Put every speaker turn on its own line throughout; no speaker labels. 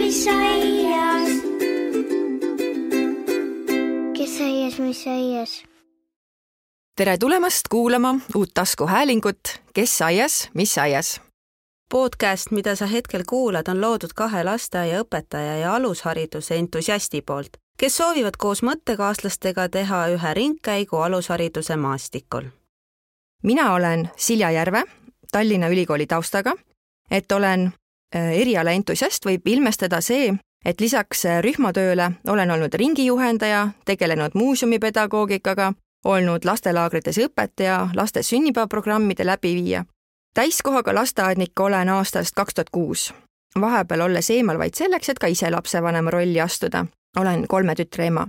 mis aias? Kes aias, mis aias?
Tere tulemast kuulama uut taskuhäälingut Kes aias, mis aias?
Podcast, mida sa hetkel kuulad, on loodud 2 lasteaiaõpetaja ja alushariduse entusiasti poolt, kes soovivad koos mõttekaaslastega teha ühe ringkäigu alushariduse maastikul.
Mina olen Silja Järve, Tallinna Ülikooli taustaga. Et olen eriala entusiast, võib ilmestada see, et lisaks rühmatööle olen olnud ringijuhendaja, tegelenud muuseumipedagoogikaga, olnud lastelaagrites õpetaja, laste sünnipäevaprogrammide läbiviija. Täiskohaga lasteaednik olen aastast 2006. Vahepeal olles eemal vaid selleks, et ka ise lapsevanema rolli astuda. Olen 3 tütre ema.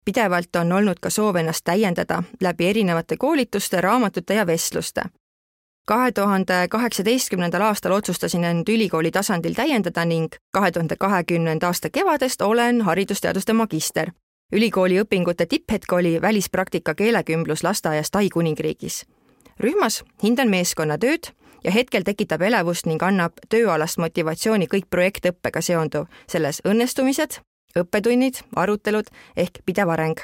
Pidevalt on olnud ka soov ennast täiendada läbi erinevate koolituste, raamatute ja vestluste. 2018. aastal otsustasin end ülikooli tasandil täiendada ning 2020. aasta kevadest olen haridusteaduste magister. Ülikooli õpingute tipphetk oli välispraktika keelekümblus lasteaias Tai Kuningriigis. Rühmas hindan meeskonnatööd ja hetkel tekitab elevust ning annab tööalast motivatsiooni kõik projektõppega seonduv, selles õnnestumised, õppetunnid, arutelud ehk pidev areng.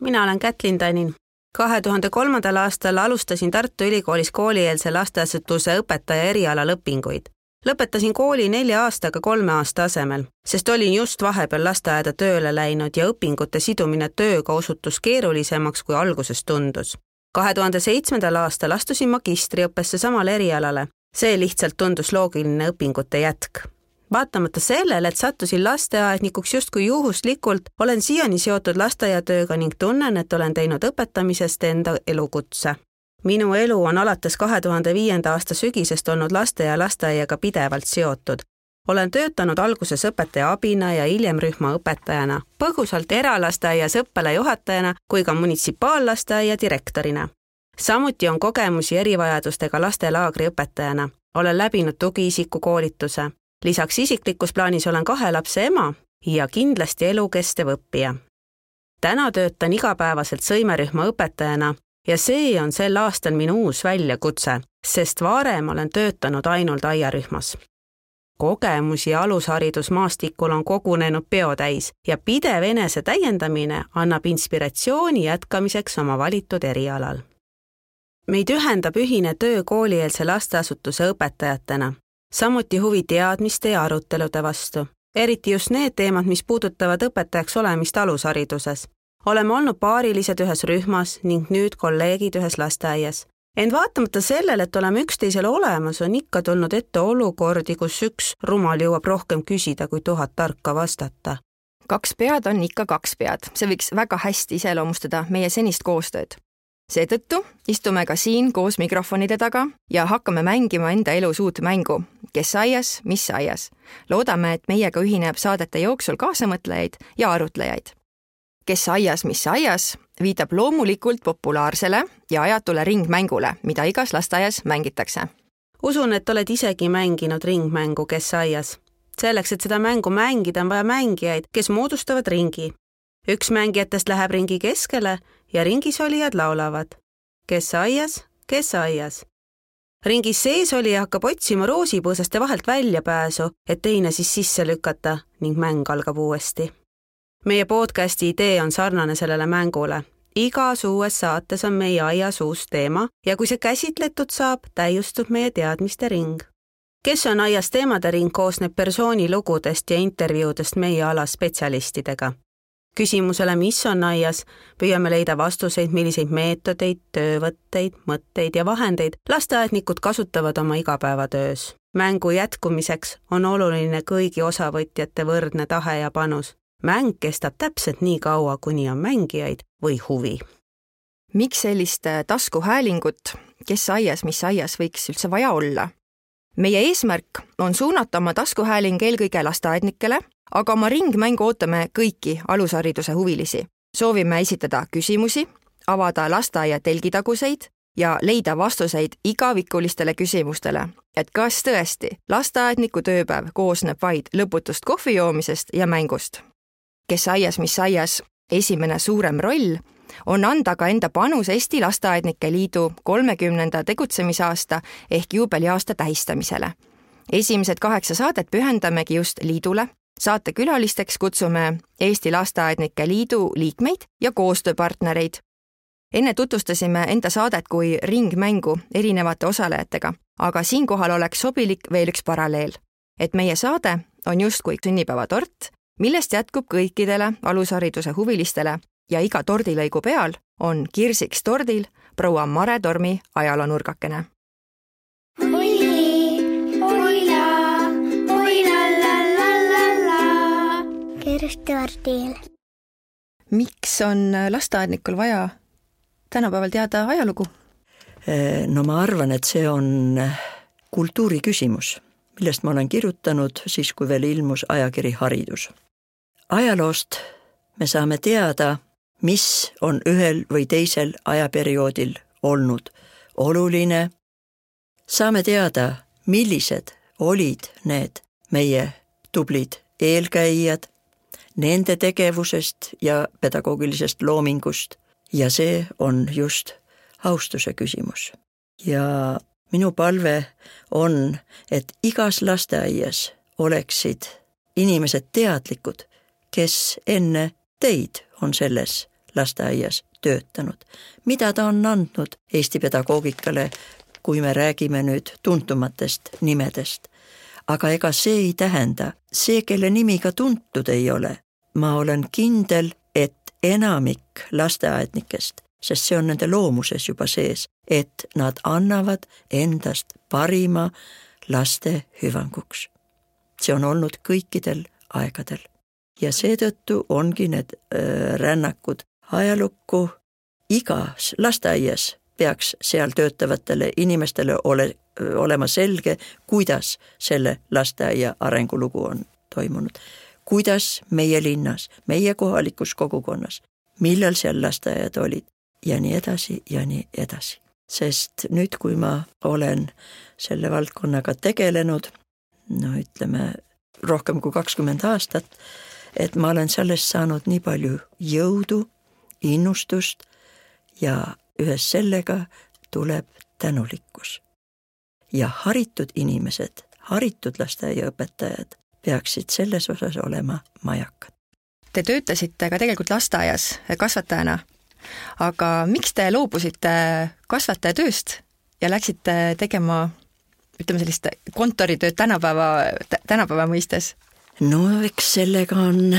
Mina olen Kätlin Tanin. 2003. aastal alustasin Tartu Ülikoolis koolieelse lasteasutuse õpetaja erialal õpinguid. Lõpetasin kooli 4 aastaga 3 aasta asemel, sest olin just vahepeal lasteaeda tööle läinud ja õpingute sidumine tööga osutus keerulisemaks, kui alguses tundus. 2007. aastal astusin magistriõppesse samale erialale. See lihtsalt tundus loogiline õpingute jätk. Vaatamata sellele, et sattusin lasteaednikuks justkui juhuslikult, olen siiani seotud lasteaiatööga ning tunnen, et olen teinud õpetamisest enda elukutse. Minu elu on alates 2005. aasta sügisest olnud laste ja lasteaiaga pidevalt seotud. Olen töötanud alguses õpetaja abina ja hiljem rühmaõpetajana, põgusalt eralasteaias õppealajuhatajana kui ka munitsipaallasteaia direktorina. Samuti on kogemusi erivajadustega lastelaagri õpetajana. Olen läbinud tugiisiku koolituse. Lisaks isiklikus plaanis olen 2 lapse ema ja kindlasti elukestev õppija. Täna töötan igapäevaselt sõimerühma õpetajana ja see on sel aastal minu uus väljakutse, sest varem olen töötanud ainult aiarühmas. Kogemusi alusharidusmaastikul on kogunenud peotäis ja pidev enese täiendamine annab inspiratsiooni jätkamiseks oma valitud erialal. Meid ühendab ühine töö koolieelse lasteasutuse õpetajatena, samuti huvi teadmiste ja arutelude vastu, eriti just need teemad, mis puudutavad õpetajaks olemist alushariduses. Oleme olnud paarilised ühes rühmas ning nüüd kolleegid ühes lasteaias. Ent vaatamata sellele, et oleme üksteisele olemas, on ikka tulnud ette olukordi, kus üks rumal jõuab rohkem küsida, kui 1000 tarka vastata.
2 pead on ikka 2 pead. See võiks väga hästi iseloomustada meie senist koostööd. Seetõttu istume ka siin koos mikrofonide taga ja hakkame mängima enda elus uut mängu. Kes aias, mis aias? Loodame, et meiega ühineb saadete jooksul kaasamõtlejaid ja arutlejaid. Kes aias, mis aias? Viitab loomulikult populaarsele ja ajatule ringmängule, mida igas lasteaias mängitakse.
Usun, et oled isegi mänginud ringmängu Kes aias. Selleks, et seda mängu mängida, on vaja mängijaid, kes moodustavad ringi. Üks mängijatest läheb ringi keskele ja ringis olijad laulavad. Kes aias, kes aias. Ringis sees olija hakkab otsima roosipõõsaste vahelt väljapääsu, et teine siis sisse lükata ning mäng algab uuesti. Meie podcasti idee on sarnane sellele mängule. Igas uues saates on meie aias uus teema ja kui see käsitletud saab, täiustub meie teadmiste ring. Kes on aias teemade ring koosneb persoonilugudest ja intervjuudest meie ala spetsialistidega. Küsimusele, mis on aias, püüame leida vastuseid, milliseid meetodeid, töövõtteid, mõtteid ja vahendeid lasteaednikud kasutavad oma igapäevatöös. Mängu jätkumiseks on oluline kõigi osavõtjate võrdne tahe ja panus. Mäng kestab täpselt nii kaua, kuni on mängijaid või huvi.
Miks sellist taskuhäälingut Kes aias, mis aias võiks üldse vaja olla? Meie eesmärk on suunata oma taskuhääling eelkõige lasteaednikele, aga oma ringmängu ootame kõiki alushariduse huvilisi. Soovime esitada küsimusi, avada lasteaia telgitaguseid ja leida vastuseid igavikulistele küsimustele, et kas tõesti lasteaedniku tööpäev koosneb vaid lõputust kohvi joomisest ja mängust. Kes aias, mis aias, esimene suurem roll on anda ka enda panus Eesti Lasteaednike Liidu 30. tegutsemisaasta ehk juubeliaasta tähistamisele. Esimesed 8 saadet pühendamegi just liidule, Saatekülalisteks kutsume Eesti Lasteaednike Liidu liikmeid ja koostööpartnereid. Enne tutvustasime enda saadet kui ringmängu erinevate osalejatega, aga siinkohal oleks sobilik veel üks paralleel, et meie saade on justkui sünnipäevatort, millest jätkub kõikidele alushariduse huvilistele ja iga tordilõigu peal on kirsiks tordil proua Mare Tormi ajaloonurgakene.
Kirstordil.
Miks on lasteaednikul vaja tänapäeval teada ajalugu?
No ma arvan, et see on kultuuri küsimus, millest ma olen kirjutanud siis, kui veel ilmus ajakiri Haridus. Ajaloost me saame teada, mis on ühel või teisel ajaperioodil olnud oluline. Saame teada, millised olid need meie tublid eelkäijad, nende tegevusest ja pedagoogilisest loomingust. Ja see on just austuse küsimus. Ja minu palve on, et igas lasteaias oleksid inimesed teadlikud, kes enne teid on selles lasteaias töötanud. Mida ta on andnud Eesti pedagoogikale, kui me räägime nüüd tuntumatest nimedest. Aga ega see ei tähenda, see, kelle nimi ka tuntud ei ole. Ma olen kindel, et enamik lasteaednikest, sest see on nende loomuses juba sees, et nad annavad endast parima laste hüvanguks. See on olnud kõikidel aegadel. Ja seetõttu ongi need rännakud ajalukku. Igas lasteaias peaks seal töötavatele inimestele olema selge, kuidas selle lasteaia arengulugu on toimunud. Kuidas meie linnas, meie kohalikus kogukonnas, millal seal lasteaiad olid ja nii edasi ja nii edasi. Sest nüüd, kui ma olen selle valdkonnaga tegelenud, ütleme rohkem kui 20 aastat, et ma olen sellest saanud nii palju jõudu, innustust ja ühes sellega tuleb tänulikkus. Ja haritud inimesed, haritud lasteaiaõpetajad peaksid selles osas olema majakad.
Te töötasite ka tegelikult lasteaias kasvatajana, aga miks te loobusite kasvatajatööst ja läksite tegema, ütleme sellist kontoritööd tänapäeva mõistes?
No eks sellega on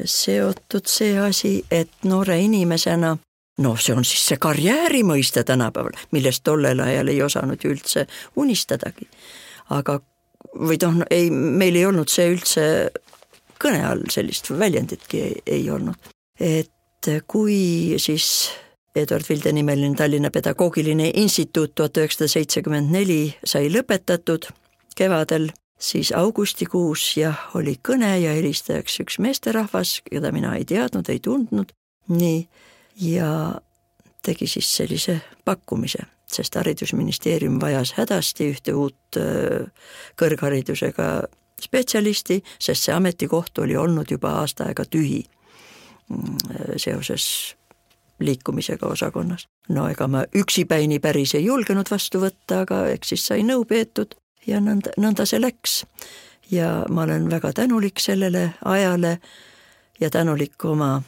seotud see asi, et noore inimesena, see on siis see karjääri mõiste tänapäeval, millest tollel ajal ei osanud ju üldse unistadagi. Aga meil ei olnud see üldse kõne all, sellist väljenditki ei olnud. Et kui siis Eduard Vilde nimeline Tallinna Pedagoogiline Instituut 1974 sai lõpetatud kevadel, siis augustikuus oli kõne ja helistajaks üks meesterahvas, keda mina ei teadnud, ei tundnud. Nii, ja tegi siis sellise pakkumise, sest haridusministeerium vajas hädasti ühte uut kõrgharidusega spetsialisti, sest see ametikoht oli olnud juba aasta aega tühi seoses liikumisega osakonnas. Ega ma üksipäini päris ei julgenud vastu võtta, aga eks siis sai nõu peetud ja nõnda see läks. Ja ma olen väga tänulik sellele ajale ja tänulik oma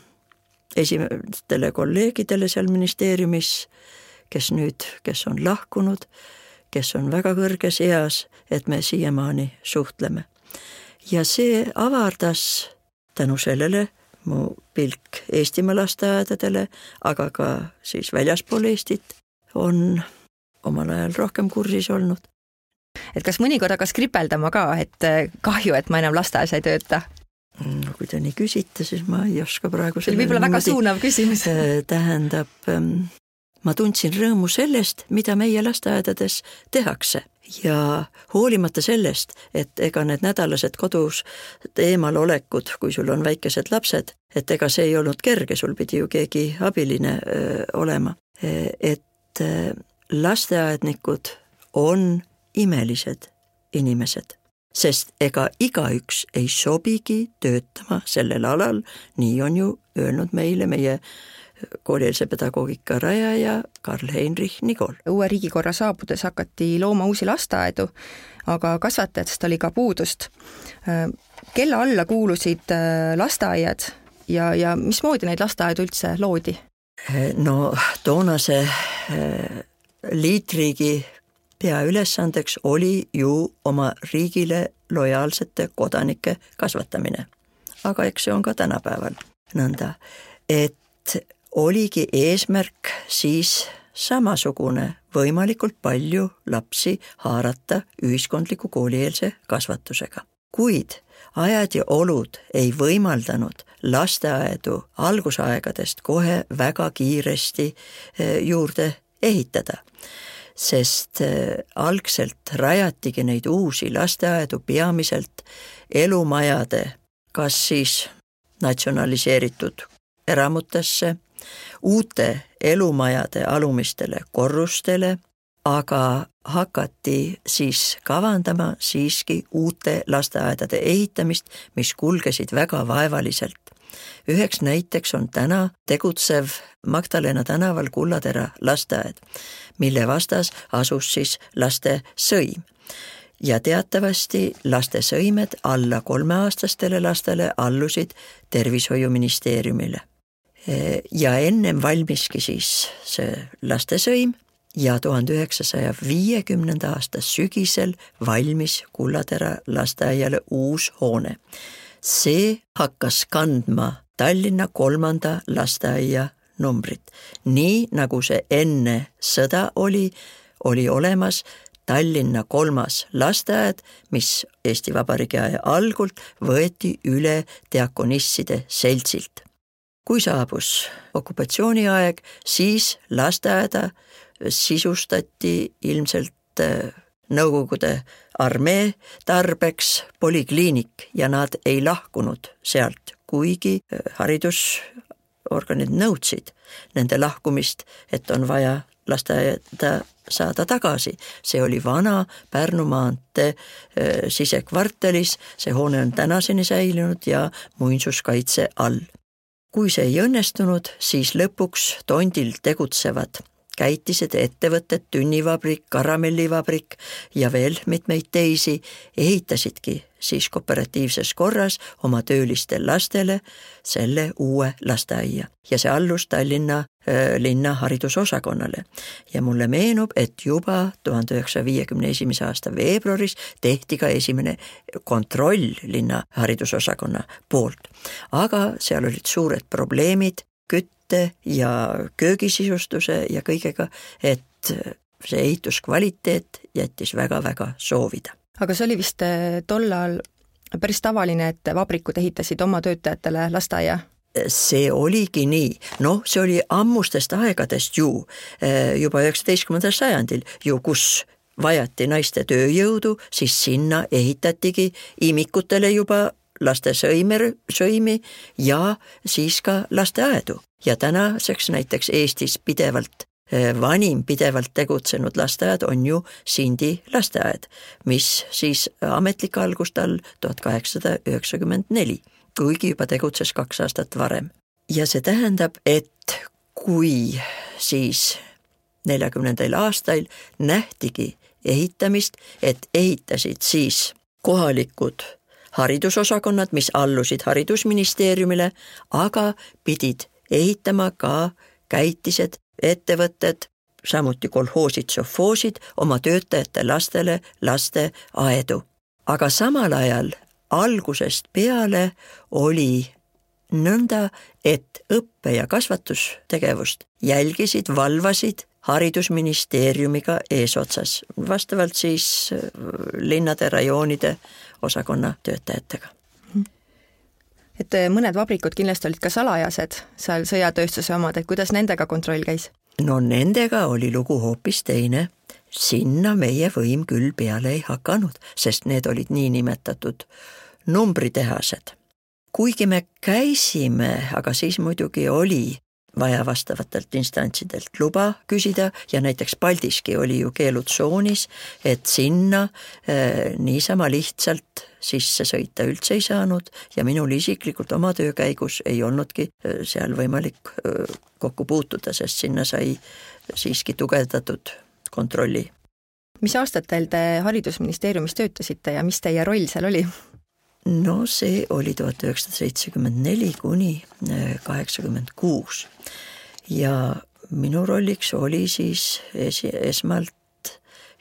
esimestele kolleegidele seal ministeeriumis, kes on lahkunud, kes on väga kõrges eas, et me siiamaani suhtleme. Ja see avardas tänu sellele mu pilk Eestimaa lasteaedadele, aga ka siis väljaspool Eestit on omal ajal rohkem kursis olnud.
Et kas mõnikord hakkas kripeldama ka, et kahju, et ma enam lasteaias ei tööta?
Kui te nii küsite, siis ma ei oska praegu
see võib-olla väga suunav küsimus.
Tähendab, ma tundsin rõõmu sellest, mida meie lasteaedades tehakse. Ja hoolimata sellest, et ega need nädalased kodus eemal olekud, kui sul on väikesed lapsed, et ega see ei olnud kerge, sul pidi ju keegi abiline olema. Et lasteaednikud on imelised inimesed, sest ega igaüks ei sobigi töötama sellel alal, nii on ju öelnud meile meie koolieelse pedagoogika rajaja Karl-Heinrich Nigol.
Uue riigikorra saabudes hakati looma uusi lasteaedu, aga kasvatajatest oli ka puudust. kelle alla kuulusid lasteaiad ja mismoodi neid lasteaedu üldse loodi?
No toonase liitriigi peaülesandeks oli ju oma riigile lojaalsete kodanike kasvatamine. Aga eks see on ka tänapäeval nõnda, et oligi eesmärk siis samasugune võimalikult palju lapsi haarata ühiskondliku koolieelse kasvatusega. Kuid ajad ja olud ei võimaldanud lasteaedu algusaegadest kohe väga kiiresti juurde ehitada, sest algselt rajatigi neid uusi lasteaedu peamiselt elumajade, kas siis natsionaliseeritud eramutesse, uute elumajade alumistele korrustele, aga hakati siis kavandama siiski uute lasteaedade ehitamist, mis kulgesid väga vaevaliselt. Üheks näiteks on täna tegutsev Magdalena tänaval Kullatera lasteaed, mille vastas asus siis lastesõim. Ja teatavasti lastesõimed alla 3-aastastele lastele allusid tervishoiuministeeriumile. Ja ennem valmiski siis see lastesõim ja 1950. aasta sügisel valmis Kullatera lasteaiale uus hoone. See hakkas kandma Tallinna 3. lasteaia numbrit. Nii nagu see enne sõda oli olemas Tallinna 3. lasteaed, mis Eesti Vabariigi aja algult võeti üle diakonisside seltsilt. Kui saabus okupatsiooniaeg, siis lasteaeda sisustati ilmselt Nõukogude armee tarbeks polikliinik ja nad ei lahkunud sealt, kuigi haridusorganid nõudsid nende lahkumist, et on vaja lasteaeda saada tagasi. See oli vana Pärnu maantee sisekvartalis, see hoone on tänaseni säilinud ja muinsuskaitse all. Kui see ei õnnestunud, siis lõpuks tondil tegutsevad käitised, ettevõtted, tünnivabrik, karamellivabrik ja veel mitmeid teisi ehitasidki siis kooperatiivses korras oma töölistel lastele selle uue lasteaia. Ja see allus Tallinna linna haridusosakonnale. Ja mulle meenub, et juba 1951. aasta veebruaris tehti ka esimene kontroll linna haridusosakonna poolt. Aga seal olid suured probleemid kütte ja köögisisustuse ja kõigega, et see ehituskvaliteet jättis väga-väga soovida.
Aga see oli vist tollal päris tavaline, et vabrikud ehitasid oma töötajatele lasteaia?
See oligi nii. No see oli ammustest aegadest ju, juba 19. sajandil ju, kus vajati naiste tööjõudu, siis sinna ehitatigi imikutele juba lastesõimi ja siis ka lasteaedu. Ja tänaseks näiteks Eestis vanim pidevalt tegutsenud lasteaed on ju Sindi lasteaed, mis siis ametlik algust all 1894, kuigi juba tegutses 2 aastat varem. Ja see tähendab, et kui siis 40. aastail nähtigi ehitamist, et ehitasid siis kohalikud haridusosakonnad, mis allusid haridusministeeriumile, aga pidid ehitama ka käitised, ettevõtted, samuti kolhoosid, sovhoosid oma töötajate lastele lasteaedu. Aga samal ajal algusest peale oli nõnda, et õppe- ja kasvatustegevust jälgisid, valvasid haridusministeeriumiga eesotsas, vastavalt siis linnade, rajoonide osakonna töötajatega.
Et mõned vabrikud kindlasti olid ka salajased, seal sõjatööstuse omad, et kuidas nendega kontroll käis?
No nendega oli lugu hoopis teine. Sinna meie võim küll peale ei hakanud, sest need olid niinimetatud numbritehased. Kuigi me käisime, aga siis muidugi oli vaja vastavatelt instantsidelt luba küsida ja näiteks Paldiski oli ju keelutsoonis, et sinna niisama lihtsalt sisse sõita üldse ei saanud ja minul isiklikult oma töö käigus ei olnudki seal võimalik kokku puutuda, sest sinna sai siiski tugevdatud kontrolli.
Mis aastatel te haridusministeeriumis töötasite ja mis teie roll seal oli?
No see oli 1974 kuni 86 ja minu rolliks oli siis esmalt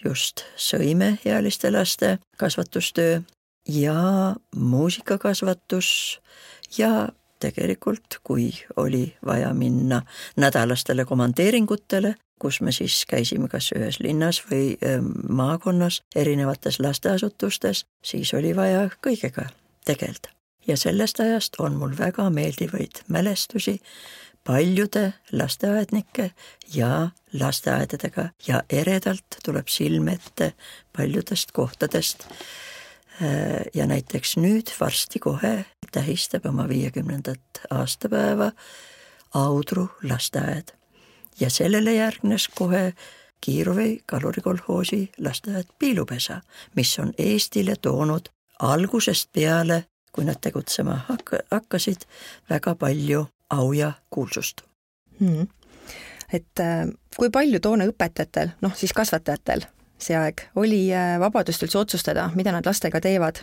just sõimeealiste laste kasvatustöö ja muusikakasvatus ja tegelikult, kui oli vaja minna nädalastele komandeeringutele, kus me siis käisime kas ühes linnas või maakonnas erinevates lasteasutustes, siis oli vaja kõigega tegelda. Ja sellest ajast on mul väga meeldivaid mälestusi paljude lasteaednike ja lasteaedadega ja eredalt tuleb silme ette paljudest kohtadest. Ja näiteks nüüd varsti kohe tähistab oma 50. aastapäeva Audru lasteaed. Ja sellele järgnes kohe Kiiruvi kalurikolhoosi lasteaed Piilupesa, mis on Eestile toonud algusest peale, kui nad tegutsema hakkasid, väga palju au ja kuulsust.
Et kui palju toona õpetajatel, siis kasvatajatel see aeg oli vabadust üldse otsustada, mida nad lastega teevad,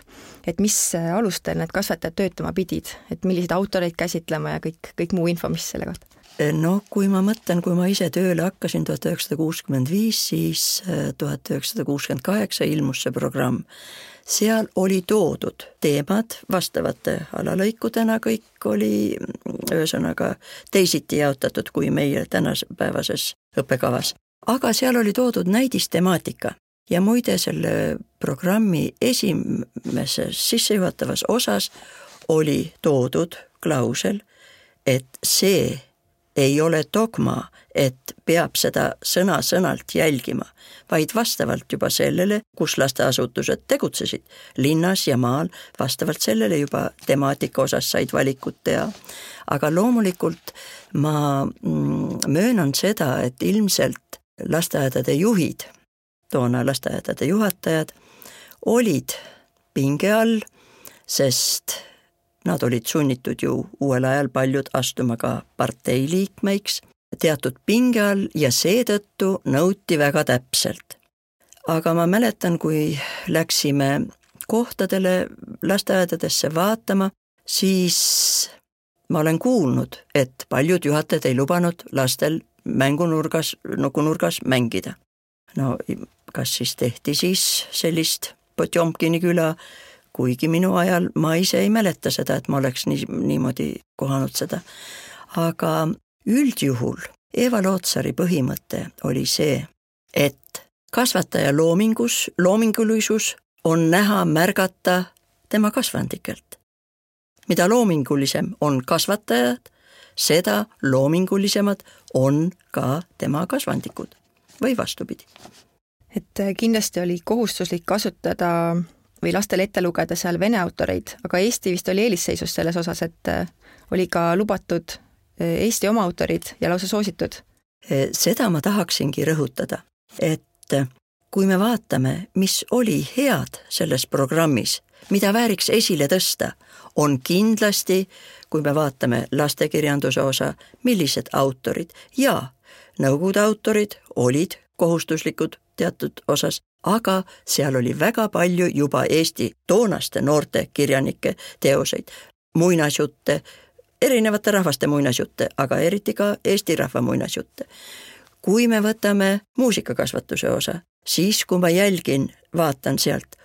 et mis alustel need kasvatajad töötama pidid, et milliseid autoreid käsitlema ja kõik muu info, mis selle kohta?
No kui ma mõtlen, kui ma ise tööle hakkasin 1965, siis 1968 ilmus see programm. Seal oli toodud teemad vastavate alalõikudena, kõik oli ühesõnaga teisiti jaotatud kui meie tänapäevases õppekavas. Aga seal oli toodud näidistemaatika ja muide selle programmi esimeses sissejuhatavas osas oli toodud klausel, et see ei ole dogma, et peab seda sõna-sõnalt jälgima, vaid vastavalt juba sellele, kus lasteasutused tegutsesid, linnas ja maal, vastavalt sellele juba temaatika osas said valikut teha. Aga loomulikult ma möönan seda, et ilmselt lasteaedade juhid, toona lasteaedade juhatajad, olid pinge all, sest nad olid sunnitud ju uuel ajal paljud astuma ka parteiliikmeiks, teatud pinge all ja seetõttu nõuti väga täpselt. Aga ma mäletan, kui läksime kohtadele lasteaedadesse vaatama, siis ma olen kuulnud, et paljud juhatajad ei lubanud lastel nukunurgas mängida. No kas siis tehti siis sellist Potjomkini küla, kuigi minu ajal ma ise ei mäleta seda, et ma oleks niimoodi kohanud seda. Aga üldjuhul Eva Lootsari põhimõte oli see, et kasvataja loomingulisus on näha märgata tema kasvandikelt. Mida loomingulisem on kasvatajad, seda loomingulisemad on ka tema kasvandikud või vastupidi.
Et kindlasti oli kohustuslik kasutada või lastele ette lugeda seal vene autoreid, aga Eesti vist oli eelisseisus selles osas, et oli ka lubatud Eesti oma autorid ja lausa soositud.
Seda ma tahaksingi rõhutada, et kui me vaatame, mis oli head selles programmis, mida vääriks esile tõsta, on kindlasti, kui me vaatame lastekirjanduse osa, millised autorid ja Nõukogude autorid olid kohustuslikud teatud osas, aga seal oli väga palju juba Eesti toonaste noorte kirjanike teoseid, muinasjutte, erinevate rahvaste muinasjutte, aga eriti ka Eesti rahva muinasjutte. Kui me võtame muusikakasvatuse osa, siis kui ma vaatan sealt,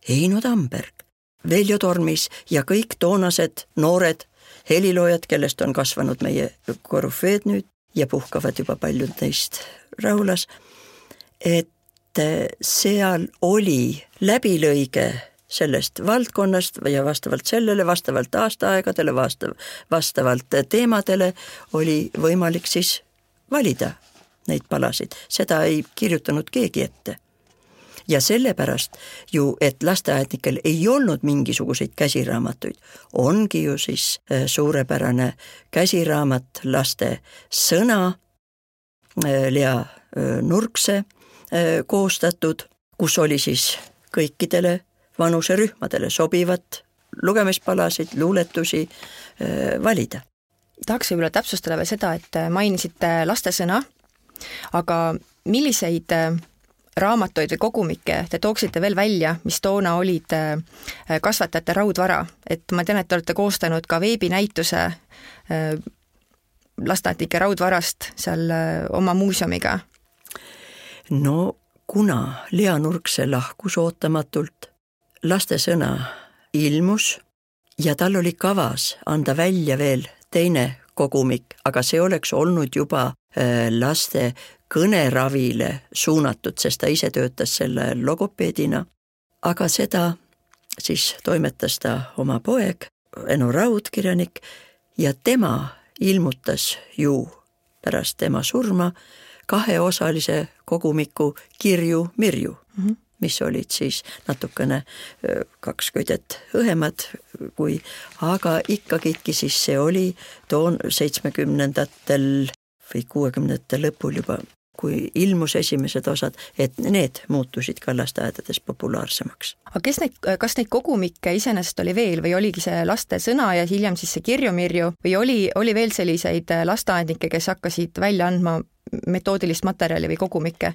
Heino Tamberg, Veljo Tormis ja kõik toonased noored heliloojad, kellest on kasvanud meie korüfeed nüüd ja puhkavad juba paljud neist rahulas, et seal oli läbilõige sellest valdkonnast ja vastavalt sellele, vastavalt aastaaegadele, vastavalt teemadele oli võimalik siis valida neid palasid. Seda ei kirjutanud keegi ette. Ja sellepärast ju, et lasteaednikel ei olnud mingisuguseid käsiraamatuid, ongi ju siis suurepärane käsiraamat laste sõna, Lea Nurkse koostatud, kus oli siis kõikidele vanuserühmadele sobivat lugemispalasid, luuletusi valida.
Tahaks võib-olla täpsustada veel seda, et mainisite lastesõna, aga milliseid raamatuid või kogumikke te tooksite veel välja, mis toona olid kasvatajate raudvara, et ma tean, et te olete koostanud ka veebinäituse lasteaednike raudvarast seal oma muuseumiga.
No kuna Lea Nurkse lahkus ootamatult, lastesõna ilmus ja tal oli kavas anda välja veel teine kogumik, aga see oleks olnud juba laste kõneravile suunatud, sest ta ise töötas selle logopeedina. Aga seda siis toimetas ta oma poeg, Eno Raud, kirjanik, ja tema ilmutas ju pärast tema surma 2-osalise kogumiku Kirju Mirju, mis olid siis natukene 2 köidet õhemad, aga ikkagidki siis see oli 70-ndatel või 60-ndate lõpul juba, kui ilmus esimesed osad, et need muutusid ka lasteaedades populaarsemaks.
Aga kas neid kogumikke iseenesest oli veel või oligi see laste sõna ja hiljem siis see Kirju Mirju või oli veel selliseid lasteaednikke, kes hakkasid välja andma metoodilist materjali või kogumikke?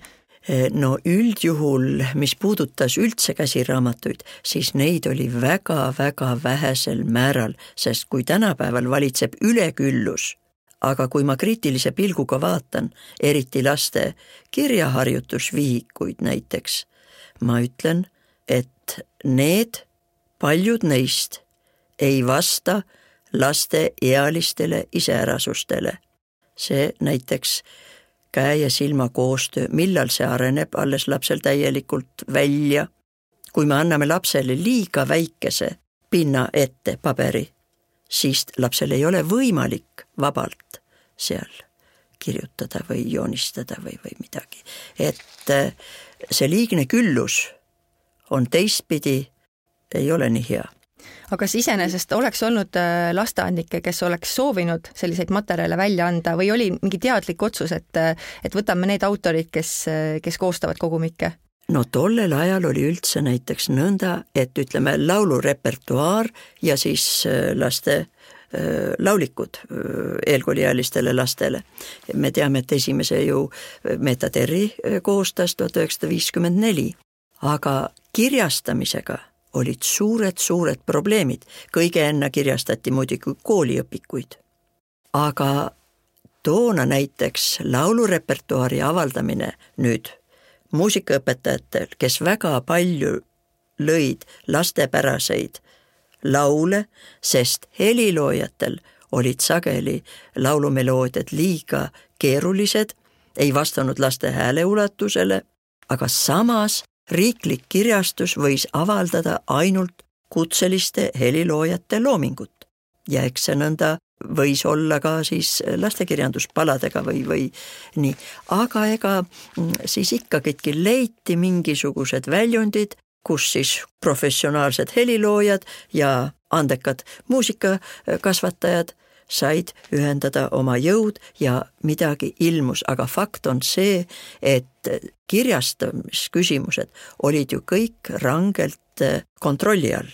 No üldjuhul, mis puudutas üldse käsiraamatuid, siis neid oli väga-väga vähesel määral, sest kui tänapäeval valitseb üleküllus, aga kui ma kriitilise pilguga vaatan, eriti laste kirjaharjutusvihikuid näiteks, ma ütlen, et paljud neist ei vasta laste ealistele iseärasustele. See näiteks käe ja silma koostöö, millal see areneb alles lapsel täielikult välja. Kui me anname lapsele liiga väikese pinna ette paberi, siis lapsel ei ole võimalik vabalt seal kirjutada või joonistada või midagi. Et see liigne küllus on teistpidi, ei ole nii hea.
Aga kas iseenesest oleks olnud lasteaednikke, kes oleks soovinud selliseid materjale välja anda või oli mingi teadlik otsus, et võtame need autorid, kes koostavad kogumikke?
No tollel ajal oli üldse näiteks nõnda, et ütleme laulurepertuaar ja siis laste laulikud eelkooliealistele lastele. Me teame, et esimese ju Meta Terri koostas 1954, aga kirjastamisega olid suured probleemid. Kõige enne kirjastati muidugi kooliõpikuid. Aga toona näiteks laulurepertuaari avaldamine nüüd muusikaõpetajatel, kes väga palju lõid lastepäraseid laule, sest heliloojatel olid sageli laulumeloodiad liiga keerulised, ei vastanud laste hääleulatusele, aga samas riiklik kirjastus võis avaldada ainult kutseliste heliloojate loomingut. Ja eks see nõnda võis olla ka siis lastekirjanduspaladega või nii. Aga ega siis ikkagidki leiti mingisugused väljundid, kus siis professionaalsed heliloojad ja andekad muusikakasvatajad said ühendada oma jõud ja midagi ilmus, aga fakt on see, et kirjastamisküsimused olid ju kõik rangelt kontrolli all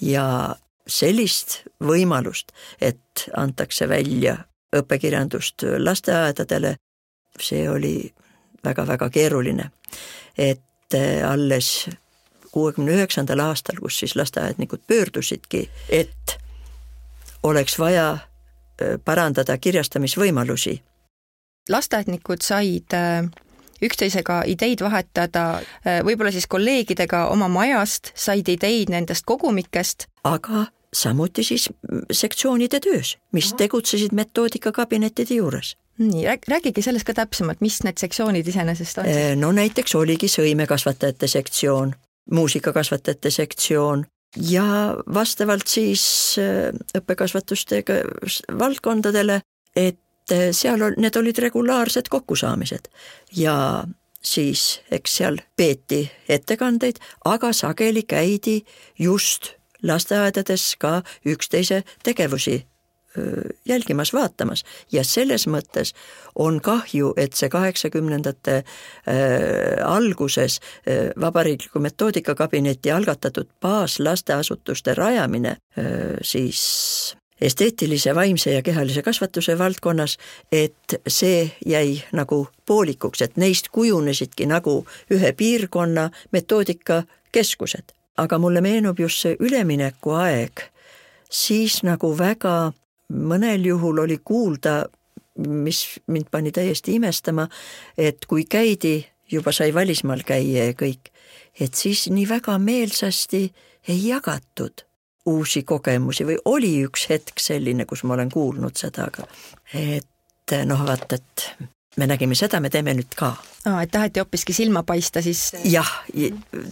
ja sellist võimalust, et antakse välja õppekirjandust lasteaedadele, see oli väga-väga keeruline. Et alles 69. aastal, kus siis lasteaednikud pöördusidki, et oleks vaja parandada kirjastamisvõimalusi.
Lasteaednikud said üksteisega ideid vahetada, võib-olla siis kolleegidega oma majast, said ideid nendest kogumikest.
Aga samuti siis sektsioonide töös, mis tegutsesid metoodikakabinettide juures.
Nii, räägigi sellest ka täpsemalt, mis need sektsioonid iseenesest on?
No näiteks oligi sõimekasvatajate sektsioon, muusikakasvatajate sektsioon, ja vastavalt siis õppekasvatustega valdkondadele, et need olid regulaarsed kokkusaamised ja siis eks seal peeti ettekandeid, aga sageli käidi just lasteaedades ka üksteise tegevusi jälgimas, vaatamas ja selles mõttes on kahju, et see 80-ndate alguses Vabariikliku metoodikakabineti algatatud baaslasteasutuste rajamine siis esteetilise, vaimse ja kehalise kasvatuse valdkonnas, et see jäi nagu poolikuks, et neist kujunesidki nagu ühe piirkonna metoodikakeskused. Aga mulle meenub just see ülemineku aeg, siis nagu väga mõnel juhul oli kuulda, mis mind pani täiesti imestama, et kui käidi, juba sai välismaal käia ja kõik, et siis nii väga meelsasti ei jagatud uusi kogemusi või oli üks hetk selline, kus ma olen kuulnud seda, aga et vaat, et me nägime seda, me teeme nüüd ka.
Et taheti hoopiski silma paista siis?
Jah,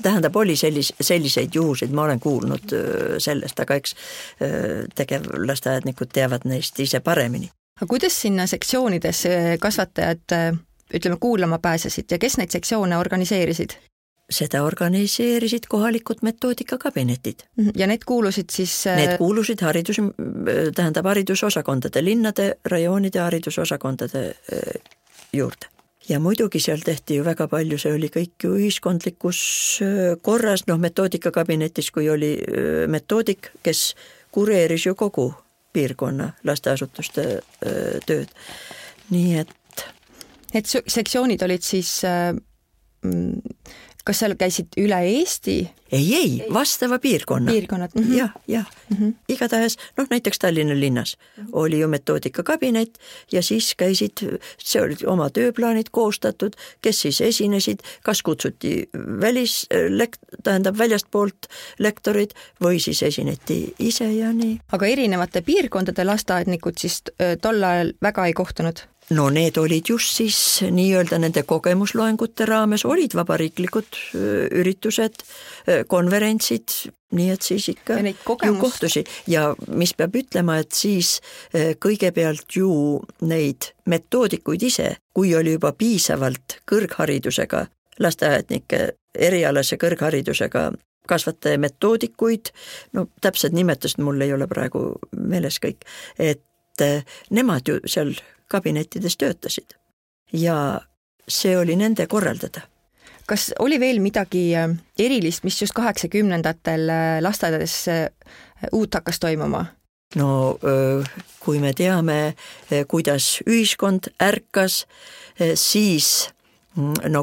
tähendab, oli selliseid juhuseid, ma olen kuulnud sellest, aga eks tegevlasteaednikud teavad neist ise paremini.
Aga kuidas sinna sektsioonides kasvatajad, ütleme, kuulama pääsesid ja kes neid sektsioone organiseerisid?
Seda organiseerisid kohalikud metoodikakabinetid.
Ja need kuulusid siis?
Need kuulusid haridusosakondade, linnade, rajoonide haridusosakondade juurde. Ja muidugi seal tehti ju väga palju, see oli kõik ju ühiskondlikus korras, metoodikakabinetis, kui oli metoodik, kes kureeris ju kogu piirkonna lasteasutuste tööd. Nii et...
Need sektsioonid olid siis... Kas seal käisid üle Eesti?
Ei, vastava piirkonna.
Piirkonnad.
Jah. Igatahes, näiteks Tallinna linnas oli ju metoodikakabinet ja siis käisid, see oli oma tööplaanid koostatud, kes siis esinesid, kas kutsuti väljastpoolt lektorid või siis esineti ise ja nii.
Aga erinevate piirkondade lasteaednikud siis tol ajal väga ei kohtunud?
Need olid just siis nii-öelda nende kogemusloengute raames, olid vabariiklikud üritused, konverentsid, nii et siis ikka ju kohtusi. Ja mis peab ütlema, et siis kõigepealt ju neid metoodikuid ise, kui oli juba piisavalt kõrgharidusega lasteaednike, erialase kõrgharidusega kasvataja metoodikuid, täpsed nimetused mul ei ole praegu meeles kõik, et nemad ju seal kabinettides töötasid ja see oli nende korraldada.
Kas oli veel midagi erilist, mis just 80-ndatel lasteaedades uut hakkas toimuma?
Kui me teame, kuidas ühiskond ärkas, siis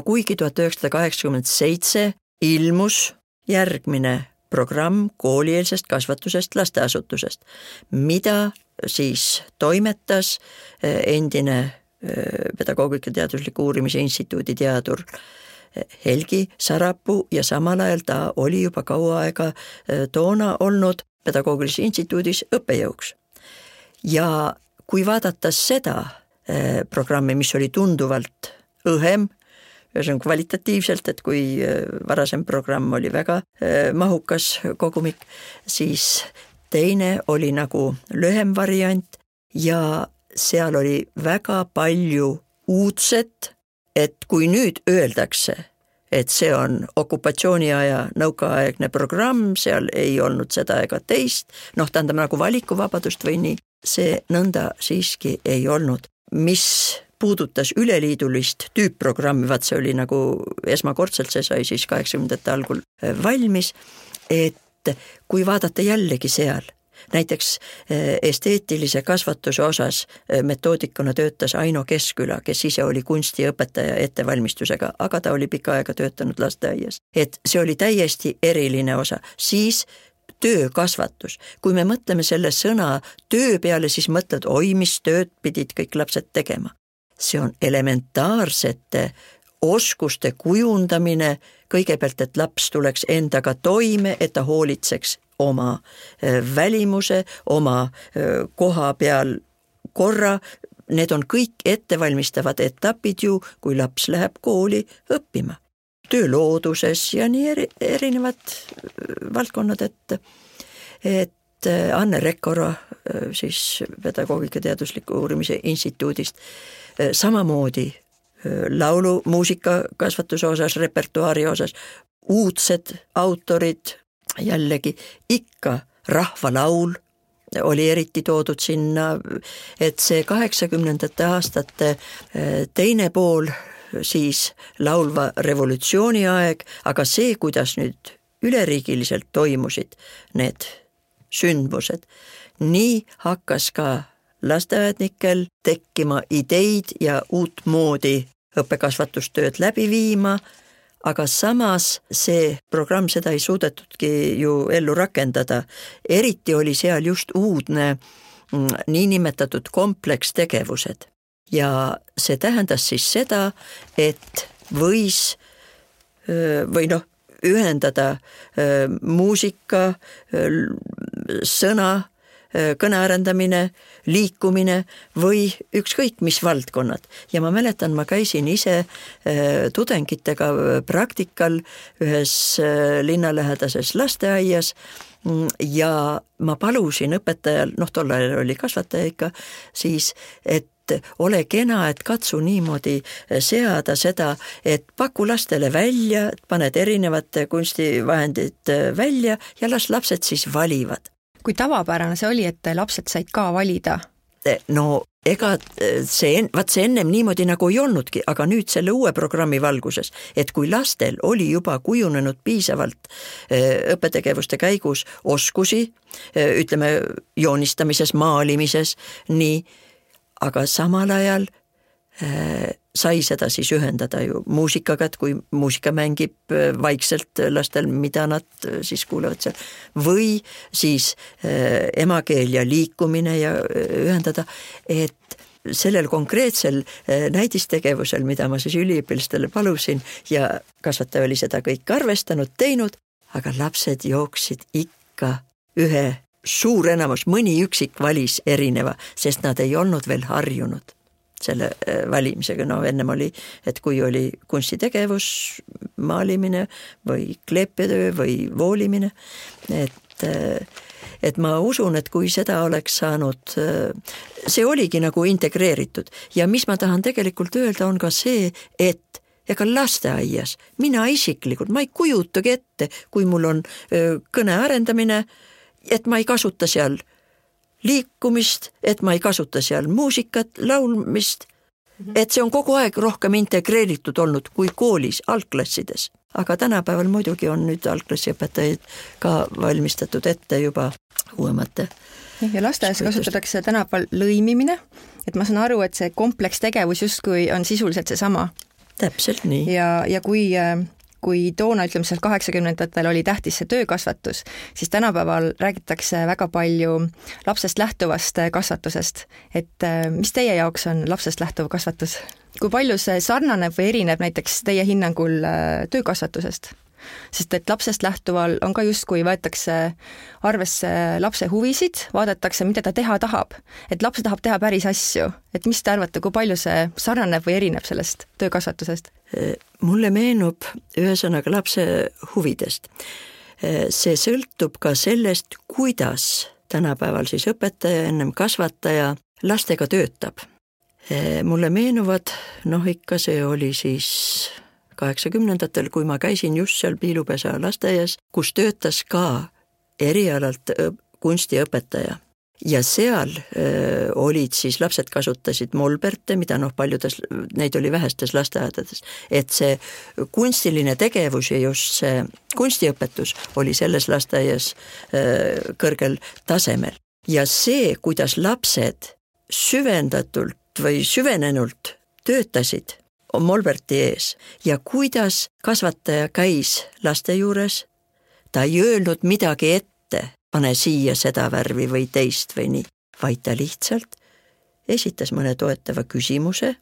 kuigi 1987 ilmus järgmine programm koolieelsest kasvatusest lasteasutusest, mida siis toimetas endine pedagoogika teadusliku uurimise instituudi teadur Helgi Sarapuu ja samal ajal ta oli juba kaua aega toona olnud pedagoogilises instituudis õppejõuks. Ja kui vaadata seda programmi, mis oli tunduvalt õhem, see on kvalitatiivselt, et kui varasem programm oli väga mahukas kogumik, siis teine oli nagu lühem variant ja seal oli väga palju uudset, et kui nüüd öeldakse, et see on okupatsiooniaja nõukaaegne programm, seal ei olnud seda ega teist, tähendab nagu valikuvabadust või nii, see nõnda siiski ei olnud. Mis puudutas üleliidulist tüüpprogrammi, vaat see oli nagu esmakordselt, see sai siis 80-ndate algul valmis, et kui vaadata jällegi seal, näiteks esteetilise kasvatuse osas metoodikuna töötas Aino Keskküla, kes ise oli kunstiõpetaja ettevalmistusega, aga ta oli pikka aega töötanud lasteaias. Et see oli täiesti eriline osa. Siis töökasvatus. Kui me mõtleme selle sõna töö peale, siis mõtled, mis tööd pidid kõik lapsed tegema. See on elementaarsete oskuste kujundamine, kõigepealt, et laps tuleks endaga toime, et ta hoolitseks oma välimuse, oma koha peal korra. Need on kõik ettevalmistavad etapid ju, kui laps läheb kooli õppima. Töölooduses ja nii erinevad valdkonnad, et Anne Rekkoro siis pedagoogika teadusliku uurimise instituudist samamoodi laulu, muusika kasvatuse osas, repertuaari osas, uudsed autorid, jällegi ikka rahvalaul oli eriti toodud sinna, et see 80-ndate aastate teine pool siis laulva revolutsiooni aeg, aga see, kuidas nüüd üleriigiliselt toimusid need sündmused, nii hakkas ka lasteaednikel tekkima ideid ja uut moodi õppekasvatustööd läbi viima, aga samas see programm seda ei suudetudki ju ellu rakendada. Eriti oli seal just uudne niinimetatud komplekstegevused. Ja see tähendas siis seda, et võis ühendada muusika, sõna, kõnearendamine, liikumine või ükskõik mis valdkonnad. Ja ma mäletan, ma käisin ise tudengitega praktikal ühes linnalähedases lasteaias ja ma palusin õpetajal, tol ajal oli kasvataja ikka, siis, et ole kena, et katsu niimoodi seada seda, et paku lastele välja, paned erinevate kunstivahendid välja ja las lapsed siis valivad.
Kui tavapärane see oli, et lapsed said ka valida?
No ega see ennem niimoodi nagu ei olnudki, aga nüüd selle uue programmi valguses, et kui lastel oli juba kujunenud piisavalt õppetegevuste käigus oskusi, ütleme joonistamises, maalimises, nii, aga samal ajal sai seda siis ühendada ju muusikaga, et kui muusika mängib vaikselt lastel, mida nad siis kuulevad seal, või siis emakeel ja liikumine ja ühendada, et sellel konkreetsel näidistegevusel, mida ma siis üliõpilastele palusin ja kasvataja oli seda kõik arvestanud, teinud, aga lapsed jooksid ikka ühe suur enamus, mõni üksik valis erineva, sest nad ei olnud veel harjunud selle valimisega. Ennem oli, et kui oli kunstitegevus, maalimine või kleepetöö või voolimine, et ma usun, et kui seda oleks saanud, see oligi nagu integreeritud. Ja mis ma tahan tegelikult öelda, on ka see, et ega lasteaias, mina isiklikult, ma ei kujutagi ette, kui mul on kõne arendamine, et ma ei kasuta seal liikumist, et ma ei kasuta seal muusikat, laulmist, et see on kogu aeg rohkem integreeritud olnud kui koolis, algklassides. Aga tänapäeval muidugi on nüüd algklassiõpetajaid ka valmistatud ette juba uuemate.
Ja lasteaias kasutatakse tänapäeval lõimimine, et ma saan aru, et see komplekstegevus justkui on sisuliselt see sama.
Täpselt nii.
Ja kui toona, ütleme seal 80-ndatel oli tähtis see töökasvatus, siis tänapäeval räägitakse väga palju lapsest lähtuvast kasvatusest. Et mis teie jaoks on lapsest lähtuv kasvatus? Kui palju see sarnaneb või erineb näiteks teie hinnangul töökasvatusest? Sest et lapsest lähtuval on ka justkui võetakse arvesse lapse huvisid, vaadatakse, mida ta teha tahab. Et laps tahab teha päris asju. Et mis te arvate, kui palju see sarnaneb või erineb sellest töökasvatusest?
Mulle meenub ühesõnaga lapse huvidest. See sõltub ka sellest, kuidas tänapäeval siis õpetaja, ennem kasvataja lastega töötab. Mulle meenuvad, ikka see oli siis 80-ndatel, kui ma käisin just seal Piilupesa lasteaias, kus töötas ka erialalt kunstiõpetaja. Ja seal olid siis, lapsed kasutasid molberte, mida paljudes, neid oli vähestes lasteaedades, et see kunstiline tegevus ja just see kunstiõpetus oli selles lasteaias kõrgel tasemel. Ja see, kuidas lapsed süvendatult või süvenenult töötasid molberti ees ja kuidas kasvataja käis laste juures, ta ei öelnud midagi ette, pane siia seda värvi või teist või nii, vaid ta lihtsalt esitas mõne toetava küsimuse,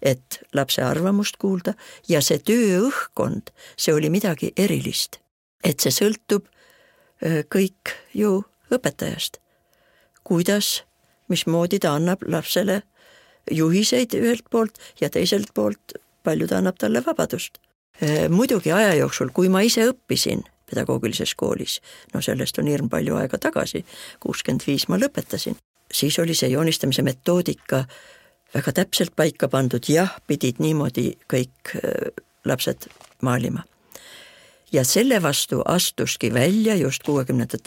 et lapse arvamust kuulda ja see tööõhkkond, see oli midagi erilist. Et see sõltub kõik ju õpetajast. Kuidas, mismoodi ta annab lapsele juhiseid ühelt poolt ja teiselt poolt palju ta annab talle vabadust. Muidugi aja jooksul, kui ma ise õppisin pedagoogilises koolis, sellest on hirm palju aega tagasi, 65 ma lõpetasin, siis oli see joonistamise metoodika väga täpselt paika pandud, jah, pidid niimoodi kõik lapsed maalima. Ja selle vastu astuski välja just 60.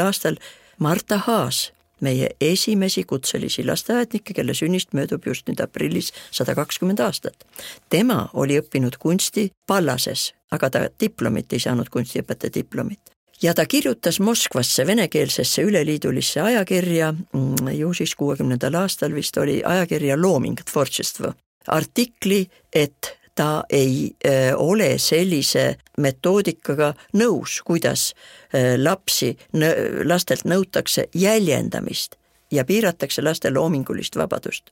aastal Marta Haas, meie esimesi kutselisi lasteaednikke, kelle sünnist möödub just nüüd aprillis 120 aastat. Tema oli õppinud kunsti Pallases, aga ta diplomit ei saanud, kunstiõpetaja diplomit. ja ta kirjutas Moskvasse venekeelsesse üleliidulisse ajakirja, ju siis 60. aastal vist oli ajakirja Looming Tvortšestvo, artikli, et ta ei ole sellise metoodikaga nõus, kuidas lastelt nõutakse jäljendamist ja piiratakse laste loomingulist vabadust.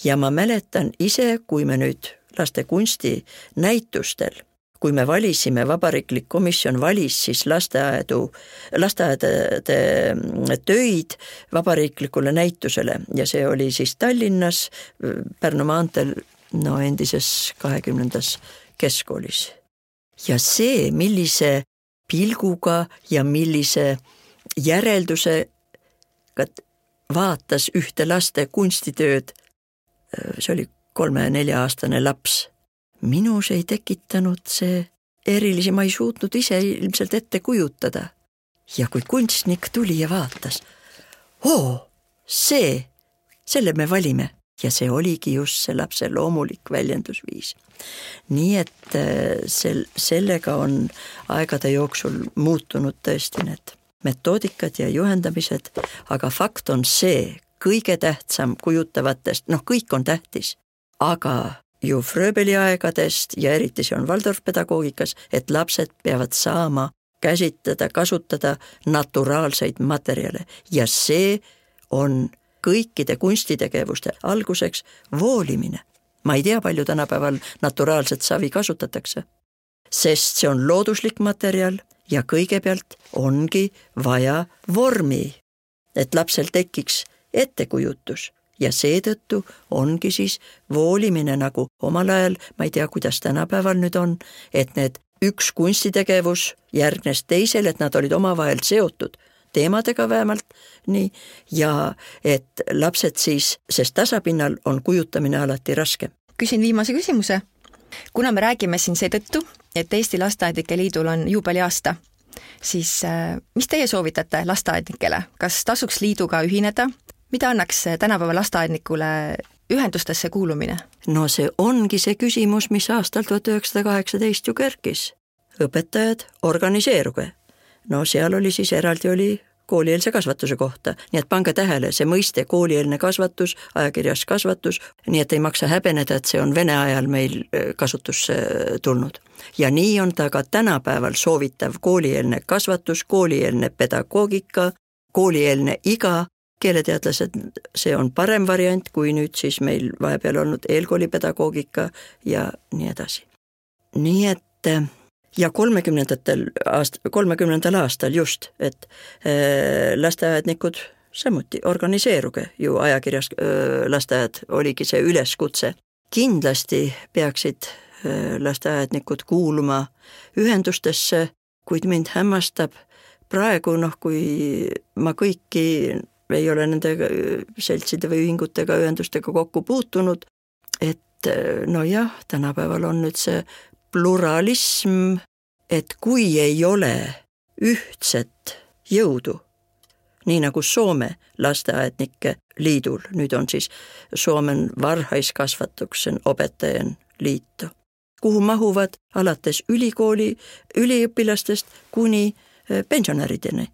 Ja ma mäletan ise, kui me nüüd laste kunstinäitustel, kui me valisime, Vabariiklik komisjon valis siis lasteaedade töid vabariiklikule näitusele ja see oli siis Tallinnas, Pärnu maanteel, endises 20. keskkoolis. Ja see, millise pilguga ja millise järeldusega vaatas ühte laste kunstitööd, see oli 3-4-aastane laps. Minus ei tekitanud see erilisi, ma ei suutnud ise ilmselt ette kujutada. Ja kui kunstnik tuli ja vaatas, selle me valime. Ja see oligi just see lapse loomulik väljendusviis. Nii et sellega on aegade jooksul muutunud tõesti need metoodikad ja juhendamised, aga fakt on see, kõige tähtsam kujutavatest, kõik on tähtis, aga ju Fröbeli aegadest ja eriti see on Waldorf-pedagoogikas, et lapsed peavad saama käsitleda, kasutada naturaalseid materjale ja see on kõikide kunstitegevuste alguseks voolimine. Ma ei tea, palju tänapäeval naturaalset savi kasutatakse, sest see on looduslik materjal ja kõigepealt ongi vaja vormi, et lapsel tekiks ettekujutus ja seetõttu ongi siis voolimine nagu omal ajal, ma ei tea, kuidas tänapäeval nüüd on, et need üks kunstitegevus järgnes teisel, et nad olid omavahel seotud teemadega vähemalt, nii, ja et lapsed siis, sest tasapinnal on kujutamine alati raske.
Küsin viimase küsimuse. Kuna me räägime siin seetõttu, et Eesti Lasteaednike Liidul on juubeliaasta, siis mis teie soovitate lasteaednikele? Kas tasuks liiduga ühineda? Mida annaks tänapäeva lasteaednikule ühendustesse kuulumine?
No see ongi see küsimus, mis aastal 1918 ju kerkis. Õpetajad, organiseeruge. No seal oli siis eraldi oli koolieelse kasvatuse kohta, nii et pange tähele, see mõiste koolieelne kasvatus, ajakirjas kasvatus, nii et ei maksa häbeneda, et see on Vene ajal meil kasutusse tulnud. Ja nii on ta ka tänapäeval soovitav koolieelne kasvatus, koolieelne pedagoogika, koolieelne iga, keeleteadlased, see on parem variant, kui nüüd siis meil vahepeal olnud eelkoolipedagoogika ja nii edasi. Nii et ja 30. aastal just, et lasteaednikud samuti organiseeruge, ju ajakirjas lasteaed oligi see üleskutse. Kindlasti peaksid lasteaednikud kuuluma ühendustesse, kuid mind hämmastab praegu, kui ma kõiki ei ole nende seltside või ühingutega, ühendustega kokku puutunud, et tänapäeval on nüüd see pluralism, et kui ei ole ühtset jõudu, nii nagu Soome lasteaednike liidul, nüüd on siis Suomen varhaiskasvatuksen opettajan liitto, kuhu mahuvad alates ülikooli üliõpilastest kuni pensionärideni,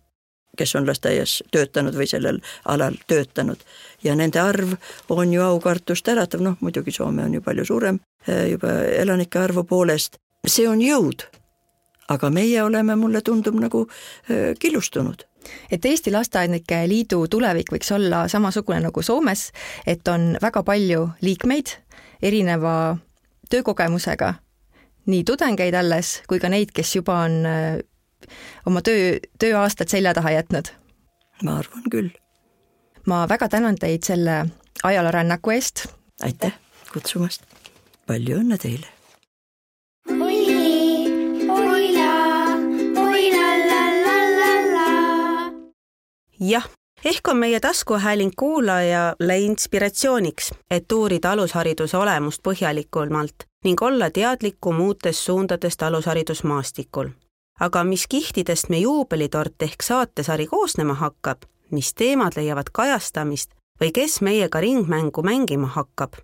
kes on lasteaias töötanud või sellel alal töötanud. Ja nende arv on ju aukartust äratav, muidugi Soome on ju palju suurem juba elanike arvu poolest. See on jõud, aga meie oleme, mulle tundub, nagu killustunud.
Et Eesti Lasteaednike Liidu tulevik võiks olla samasugune nagu Soomes, et on väga palju liikmeid erineva töökogemusega, nii tudengeid alles kui ka neid, kes juba on oma tööaastad selja taha jätnud.
Ma arvan küll.
Ma väga tänan teid selle ajaloorännaku eest.
Aitäh kutsumast. Palju õnne teile.
Jah, ehk on meie taskuhääling kuulajale inspiratsiooniks, et uurida alushariduse olemust põhjalikumalt ning olla teadlikum uutest suundadest alusharidusmaastikul. Aga mis kihtidest me juubelitort ehk saatesari koosnema hakkab, mis teemad leiavad kajastamist või kes meiega ringmängu mängima hakkab?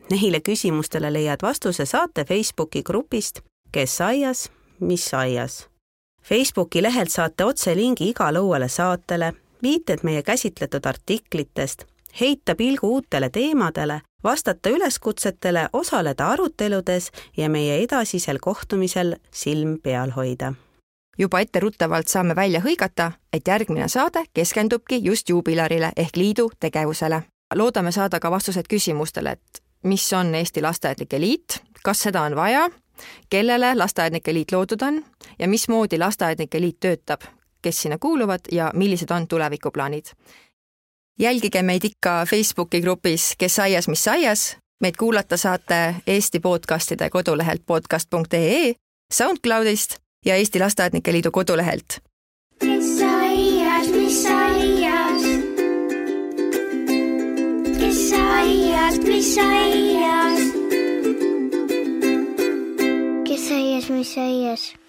Neile küsimustele leiad vastuse saate Facebooki grupist Kes aias, mis aias. Facebooki lehelt saate otselingi igale uuele saatele, viited meie käsitletud artiklitest, heita pilgu uutele teemadele, vastata üleskutsetele, osaleda aruteludes ja meie edasisel kohtumisel silm peal hoida.
Juba etteruttavalt saame välja hõigata, et järgmine saade keskendubki just juubilarile ehk liidu tegevusele. Loodame saada ka vastused küsimustele, et mis on Eesti Lasteaednike Liit, kas seda on vaja, kellele Lasteaednike Liit loodud on ja mismoodi Lasteaednike Liit töötab, kes sinna kuuluvad ja millised on tulevikuplaanid. Jälgige meid ikka Facebooki grupis Kes aias, mis aias. Meid kuulata saate Eesti podcastide kodulehelt podcast.ee, SoundCloudist ja Eesti Lasteaednike Liidu kodulehelt.
Kes aias, mis aias? Kes aias, mis aias? Kes aias, mis aias?